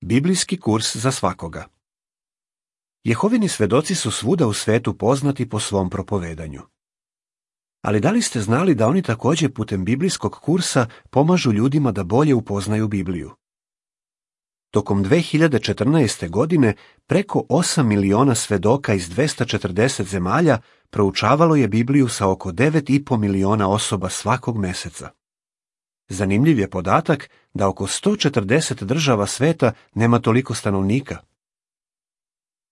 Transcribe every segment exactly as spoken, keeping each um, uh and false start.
Biblijski kurs za svakoga. Jehovini svedoci su svuda u svetu poznati po svom propovedanju. Ali da li ste znali da oni također putem biblijskog kursa pomažu ljudima da bolje upoznaju Bibliju? Tokom dve hiljade četrnaeste. godine preko osam miliona svedoka iz dvesta četrdeset zemalja proučavalo je Bibliju sa oko devet i po miliona osoba svakog meseca. Zanimljiv je podatak da oko sto četrdeset država sveta nema toliko stanovnika.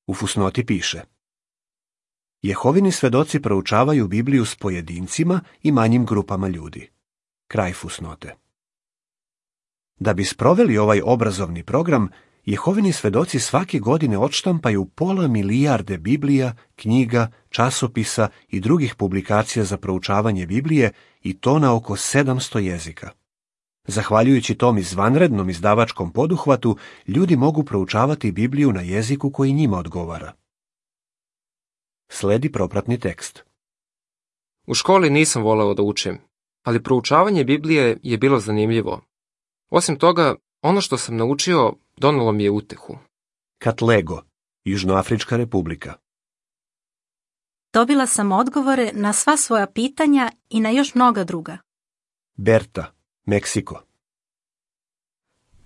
U fusnoti piše: Jehovini svedoci proučavaju Bibliju s pojedincima i manjim grupama ljudi. Kraj fusnote. Da bi sproveli ovaj obrazovni program, Jehovini svedoci svake godine odštampaju pola milijarde Biblija, knjiga, časopisa i drugih publikacija za proučavanje Biblije, i to na oko sedamsto jezika. Zahvaljujući tom izvanrednom izdavačkom poduhvatu, ljudi mogu proučavati Bibliju na jeziku koji njima odgovara. Sledi propratni tekst. U školi nisam voleo da učim, ali proučavanje Biblije je bilo zanimljivo. Osim toga, ono što sam naučio donelo mi je utehu. Katlego, Južnoafrička republika. Dobila sam odgovore na sva svoja pitanja i na još mnoga druga. Berta, Meksiko.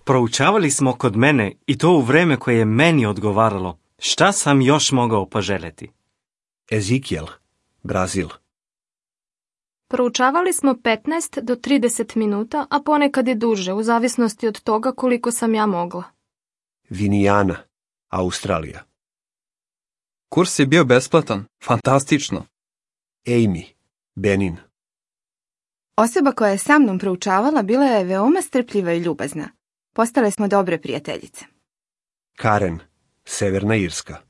Proučavali smo kod mene i to u vreme koje je meni odgovaralo. Šta sam još mogao poželjeti? Ezekiel, Brazil. Proučavali smo petnaest do trideset minuta, a ponekad i duže, u zavisnosti od toga koliko sam ja mogla. Vinijana, Australija. Kurs je bio besplatan, fantastično. Amy, Benin. Osoba koja je sa mnom proučavala bila je veoma strpljiva i ljubazna. Postale smo dobre prijateljice. Karen, Severna Irska.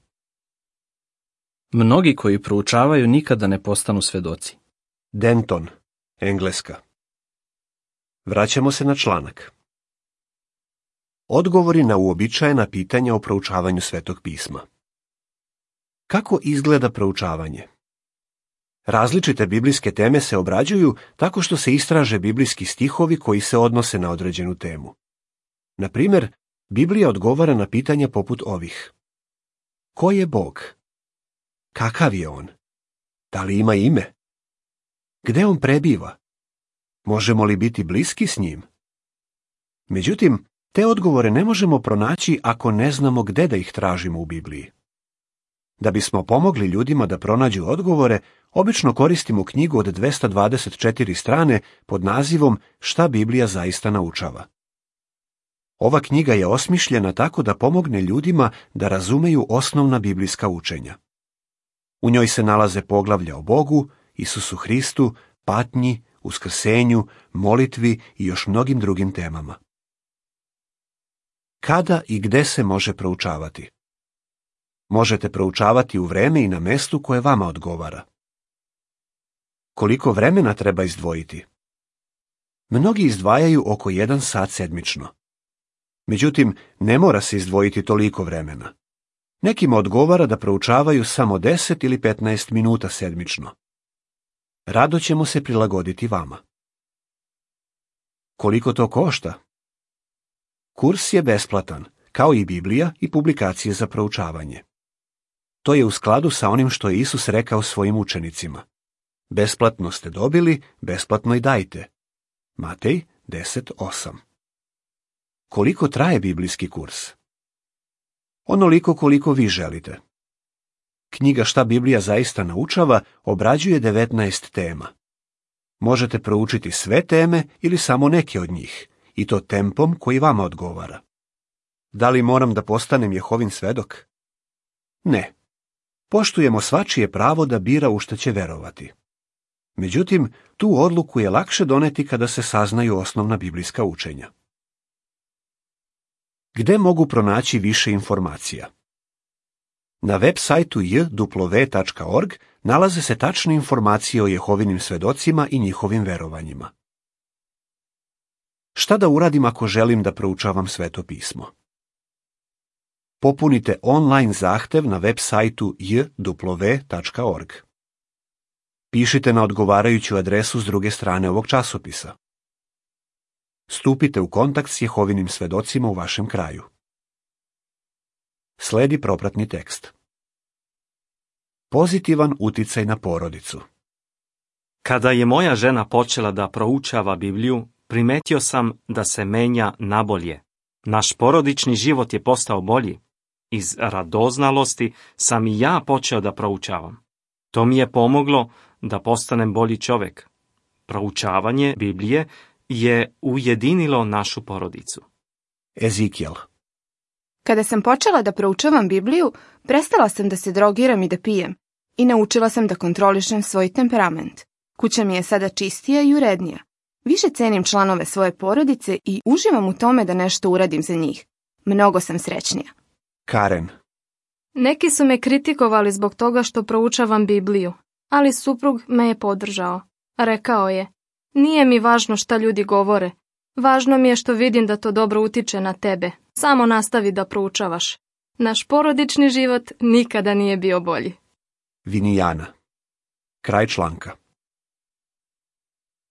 Mnogi koji proučavaju nikada ne postanu svedoci. Denton, Engleska. Vraćamo se na članak. Odgovori na uobičajena pitanja o proučavanju Svetog pisma. Kako izgleda proučavanje? Različite biblijske teme se obrađuju tako što se istraže biblijski stihovi koji se odnose na određenu temu. Na primjer, Biblija odgovara na pitanja poput ovih: Ko je Bog? Kakav je on? Da li ima ime? Gde on prebiva? Možemo li biti bliski s njim? Međutim, te odgovore ne možemo pronaći ako ne znamo gde da ih tražimo u Bibliji. Da bismo pomogli ljudima da pronađu odgovore, obično koristimo knjigu od dvesta dvadeset četiri strane pod nazivom Šta Biblija zaista naučava. Ova knjiga je osmišljena tako da pomogne ljudima da razumeju osnovna biblijska učenja. U njoj se nalaze poglavlja o Bogu, Isusu Hristu, patnji, uskrsenju, molitvi i još mnogim drugim temama. Kada i gde se može proučavati? Možete proučavati u vreme i na mestu koje vama odgovara. Koliko vremena treba izdvojiti? Mnogi izdvajaju oko jedan sat sedmično. Međutim, ne mora se izdvojiti toliko vremena. Nekima odgovara da proučavaju samo deset ili petnaest minuta sedmično. Rado ćemo se prilagoditi vama. Koliko to košta? Kurs je besplatan, kao i Biblija i publikacije za proučavanje. To je u skladu sa onim što je Isus rekao svojim učenicima. Besplatno ste dobili, besplatno i dajte. Matej deset osam. Koliko traje biblijski kurs? Onoliko koliko vi želite. Knjiga Šta Biblija zaista naučava obrađuje devetnaest tema. Možete proučiti sve teme ili samo neke od njih, i to tempom koji vama odgovara. Da li moram da postanem Jehovin svedok? Ne. Poštujemo svačije pravo da bira u što će verovati. Međutim, tu odluku je lakše doneti kada se saznaju osnovna biblijska učenja. Gde mogu pronaći više informacija? Na web sajtu j w tačka org nalaze se tačne informacije o Jehovinim svedocima i njihovim verovanjima. Šta da uradim ako želim da proučavam Sveto pismo? Popunite online zahtev na web sajtu j w tačka org. Pišite na odgovarajuću adresu s druge strane ovog časopisa. Stupite u kontakt s Jehovinim svedocima u vašem kraju. Sledi propratni tekst. Pozitivan uticaj na porodicu. Kada je moja žena počela da proučava Bibliju, primetio sam da se menja nabolje. Naš porodični život je postao bolji. Iz radoznalosti sam i ja počeo da proučavam. To mi je pomoglo da postanem bolji čovjek. Proučavanje Biblije je ujedinilo našu porodicu. Ezikijel. Kada sam počela da proučavam Bibliju, prestala sam da se drogiram i da pijem i naučila sam da kontrolišem svoj temperament. Kuća mi je sada čistija i urednija. Više cenim članove svoje porodice i uživam u tome da nešto uradim za njih. Mnogo sam srećnija. Karen. Neki su me kritikovali zbog toga što proučavam Bibliju, ali suprug me je podržao. Rekao je, nije mi važno šta ljudi govore. Važno mi je što vidim da to dobro utiče na tebe. Samo nastavi da proučavaš. Naš porodični život nikada nije bio bolji. Vinijana. Kraj članka.